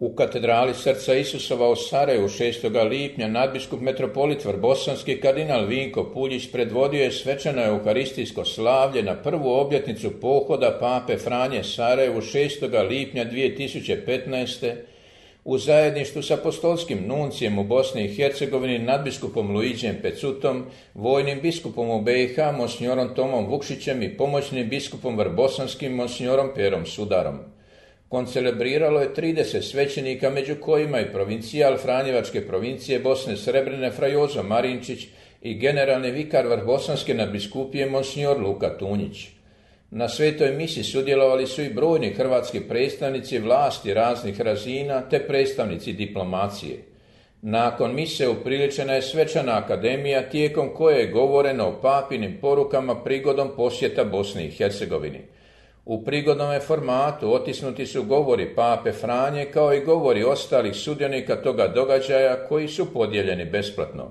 U katedrali Srca Isusova u Sarajevu 6. lipnja nadbiskup metropolit Vrbosanski kardinal Vinko Puljić predvodio je svečano euharistijsko slavlje na prvu obljetnicu pohoda pape Franje Sarajevu 6. lipnja 2015. u zajedništvu s apostolskim nuncijem u Bosni i Hercegovini nadbiskupom Luiđem Pecutom, vojnim biskupom u BiH monsignorom Tomom Vukšićem i pomoćnim biskupom Vrbosanskim monsignorom Perom Sudarom. Koncelebriralo je 30 svećenika, među kojima i provincijal Franjevačke provincije Bosne Srebrene fra Jozo Marinčić i generalni vikar Vrbosanske nadbiskupije monsinjor Luka Tunjić. Na svetoj misi sudjelovali su i brojni hrvatski predstavnici vlasti raznih razina te predstavnici diplomacije. Nakon mise upriličena je svečana akademija tijekom koje je govoreno o papinim porukama prigodom posjeta Bosni i Hercegovini. U prigodnom formatu otisnuti su govori pape Franje kao i govori ostalih sudionika toga događaja koji su podijeljeni besplatno.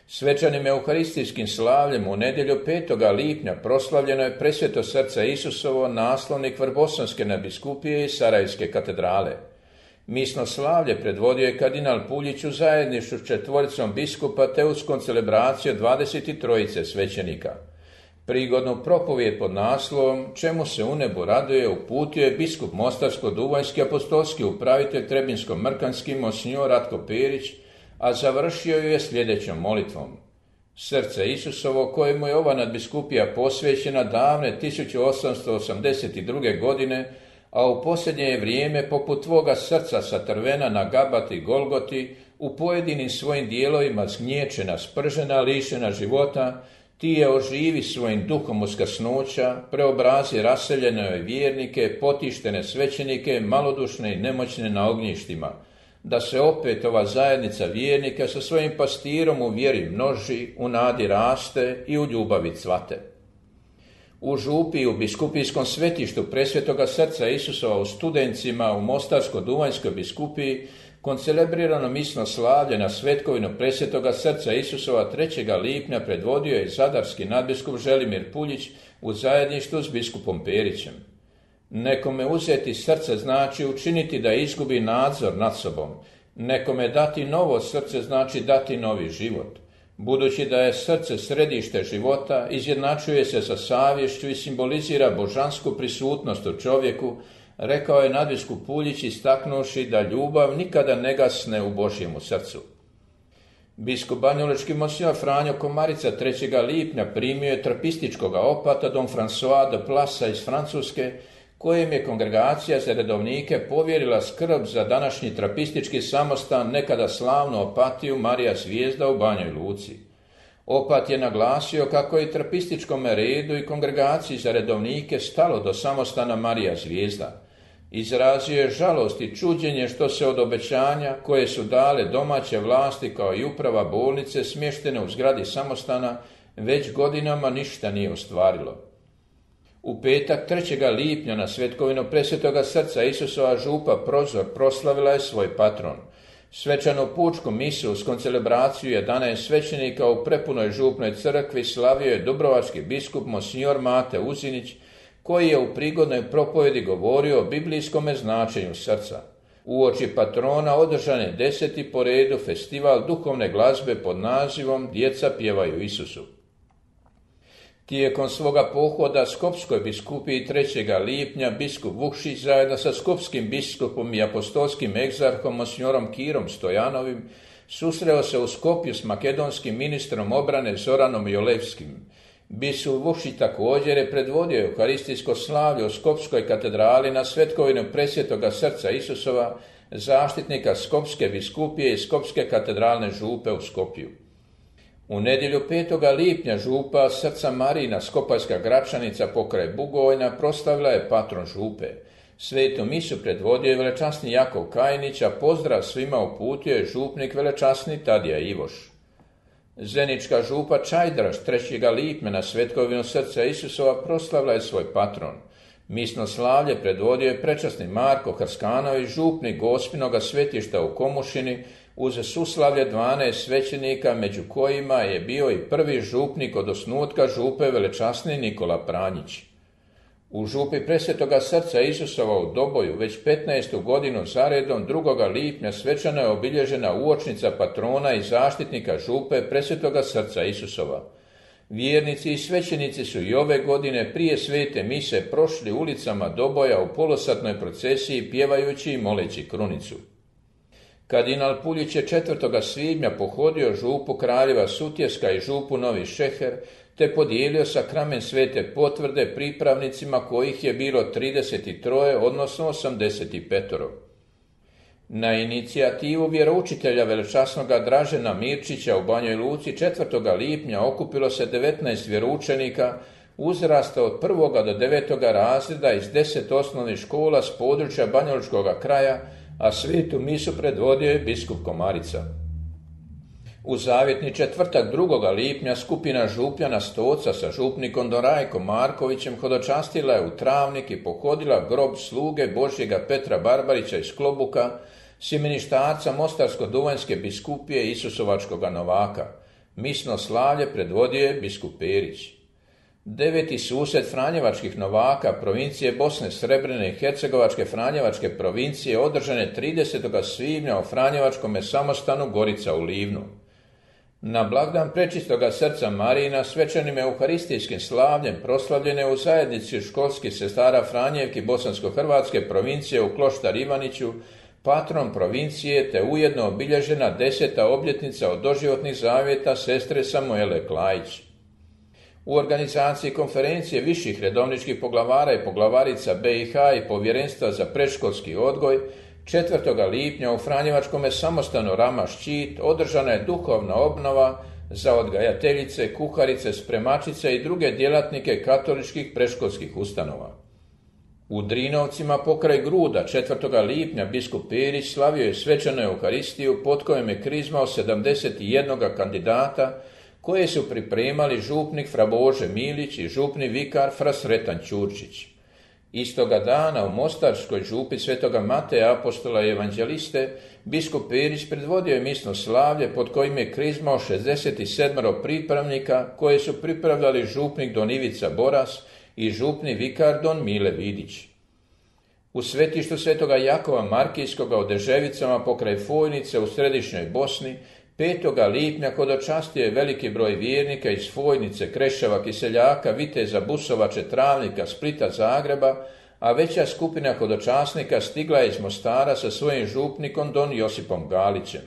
Svečanim euharistijskim slavljem u nedjelju 5. lipnja proslavljeno je Presveto srce Isusovo, naslovnik Vrbosanske nadbiskupije i Sarajevske katedrale. Misno slavlje predvodio je kardinal Puljić u zajedništvu s 4 biskupa te uz koncelebraciju 23 svećenika. Prigodnu propovijed pod naslovom Čemu se u nebu raduje uputio je biskup Mostarsko-Duvanjski apostolski upravitelj Trebinsko-Mrkanski monsinjor Ratko Perić, a završio ju je sljedećom molitvom. Srce Isusovo, kojemu je ova nadbiskupija posvećena davne 1882. godine, a u posljednje je vrijeme poput tvoga srca satrvena na Gabati i Golgoti, u pojedinim svojim dijelovima zgnječena, spržena, lišena života, ti je oživi svojim duhom uskrsnuća, preobrazi raseljene vjernike, potištene svećenike, malodušne i nemoćne na ognjištima, da se opet ova zajednica vjernika sa svojim pastirom u vjeri množi, u nadi raste i u ljubavi cvate. U župi u biskupijskom svetištu Presvetoga srca Isusova u Studencima u Mostarsko-Duvanjskoj biskupiji koncelebrirano misno slavlje na svetkovinu Presvetoga srca Isusova 3. lipnja predvodio je zadarski nadbiskup Želimir Puljić u zajedništvu s biskupom Perićem. Nekome uzeti srce znači učiniti da izgubi nadzor nad sobom. Nekome dati novo srce znači dati novi život. Budući da je srce središte života, izjednačuje se sa savješću i simbolizira božansku prisutnost u čovjeku, rekao je nadbiskup Puljić istaknuši da ljubav nikada ne gasne u Božjemu srcu. Biskup banjalučki monsinjor Franjo Komarica 3. lipnja primio je trapističkoga opata Don François de Plasa iz Francuske, kojem je kongregacija za redovnike povjerila skrb za današnji trapistički samostan nekada slavnu opatiju Marija Zvijezda u Banjoj Luci. Opat je naglasio kako je trapističkom redu i kongregaciji za redovnike stalo do samostana Marija Zvijezda. Izrazio je žalost i čuđenje što se od obećanja koje su dale domaće vlasti kao i uprava bolnice smještene u zgradi samostana već godinama ništa nije ostvarilo. U petak 3. lipnja na svetkovinu Presvetoga srca Isusova župa Prozor proslavila je svoj patron. Svečanu pučku misu uz koncelebraciju 11 svećenika u prepunoj župnoj crkvi slavio je dubrovački biskup monsinjor Mate Uzinić, koji je u prigodnoj propovjedi govorio o biblijskome značenju srca. Uoči patrona održan je 10. po redu festival duhovne glazbe pod nazivom Djeca pjevaju Isusu. Tijekom svoga pohoda Skopskoj biskupiji 3. lipnja biskup Vukšić zajedno sa skopskim biskupom i apostolskim egzarhom monsignorom Kirom Stojanovim susreo se u Skopju s makedonskim ministrom obrane Zoranom Jolevskim. Biskup Vukšić također je predvodio euharistijsko slavlje u Skopskoj katedrali na svetkovinu Presvetoga srca Isusova, zaštitnika Skopske biskupije i Skopske katedralne župe u Skopju. U nedjelju 5. lipnja župa Srca Marina Skopajska Gračanica pokraj Bugojna proslavila je patron župe. Svetu misu predvodio je velečasni Jakov Kajnić, a pozdrav svima uputio je župnik velečasni Tadija Ivoš. Zenička župa Čajdraš 3. lipnja na svetkovinu srca Isusova proslavila je svoj patron. Misno slavlje predvodio je prečasni Marko Hrskanović, župnik Gospinoga svetišta u Komušini, uz suslavlje 12 svećenika, među kojima je bio i prvi župnik od osnutka župe velečasni Nikola Pranjić. U župi Presvetoga srca Isusova u Doboju već 15. godinu zaredom 2. lipnja svečano je obilježena uočnica patrona i zaštitnika župe Presvetoga srca Isusova. Vjernici i svećenici su i ove godine prije svete mise prošli ulicama Doboja u polosatnoj procesiji pjevajući i moleći krunicu. Kardinal Puljić je 4. svibnja pohodio župu Kraljeva Sutjeska i župu Novi Šeher, te podijelio sakramen svete potvrde pripravnicima kojih je bilo 33, odnosno 85. Na inicijativu vjeroučitelja velečasnoga Dražena Mirčića u Banjoj Luci 4. lipnja okupilo se 19 vjeroučenika uzrasta od 1. do 9. razreda iz 10 osnovnih škola s područja banjalučkog kraja, a svetu misu predvodio je biskup Komarica. U zavjetni četvrtak 2. lipnja skupina župljana Stoca sa župnikom Dorajkom Markovićem hodočastila je u Travnik i pohodila grob sluge Božjega Petra Barbarića iz Klobuka, sjemeništarca Mostarsko-duvanjske biskupije Isusovačkoga Novaka. Misno slavlje predvodio je biskup Perić. 9. susret Franjevačkih Novaka provincije Bosne, Srebrene i Hercegovačke Franjevačke provincije održan je 30. svibnja u Franjevačkome samostanu Gorica u Livnu. Na blagdan Prečistoga srca Marijina svečanim euharistijskim slavljem proslavljene u zajednici školskih sestara Franjevki Bosansko-Hrvatske provincije u Kloštar Ivaniću, patron provincije, te ujedno obilježena 10. obljetnica od doživotnih zavjeta sestre Samuele Klajić. U organizaciji konferencije viših redovničkih poglavara i poglavarica BiH i Povjerenstva za predškolski odgoj 4. lipnja u Franjevačkome samostanu Rama Ščit održana je duhovna obnova za odgajateljice, kuharice, spremačice i druge djelatnike katoličkih predškolskih ustanova. U Drinovcima pokraj Gruda 4. lipnja biskup Perić slavio je svečanu euharistiju pod kojom je krizmao 71 kandidata koje su pripremali župnik fra Bože Milić i župni vikar fra Sretan Ćurčić. Istoga dana u Mostarskoj župi Svetoga Mateja apostola i evanđeliste biskup Perić predvodio je misno slavlje pod kojim je krizmao 67 pripravnika koje su pripravljali župnik Don Ivica Boras i župni vikar Don Mile Vidić. U svetištu Svetoga Jakova Markijskoga u Deževicama pokraj Fojnice u središnjoj Bosni 5. lipnja hodočastio je veliki broj vjernika iz Fojnice, Kreševa, Kiseljaka, Viteza, Busovače, Travnika, Splita, Zagreba, a veća skupina hodočasnika stigla je iz Mostara sa svojim župnikom Don Josipom Galićem.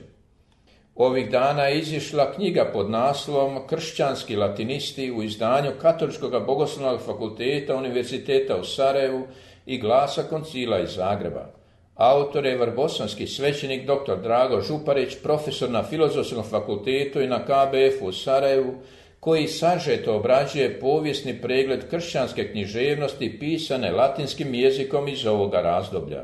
Ovih dana je izišla knjiga pod naslovom Kršćanski latinisti u izdanju Katoličkog bogoslovnog fakulteta Univerziteta u Sarajevu i Glasa koncila iz Zagreba. Autor je vrbosanski svećenik dr. Drago Župarić, profesor na Filozofskom fakultetu i na KBF u Sarajevu, koji sažeto obrađuje povijesni pregled kršćanske književnosti pisane latinskim jezikom iz ovoga razdoblja.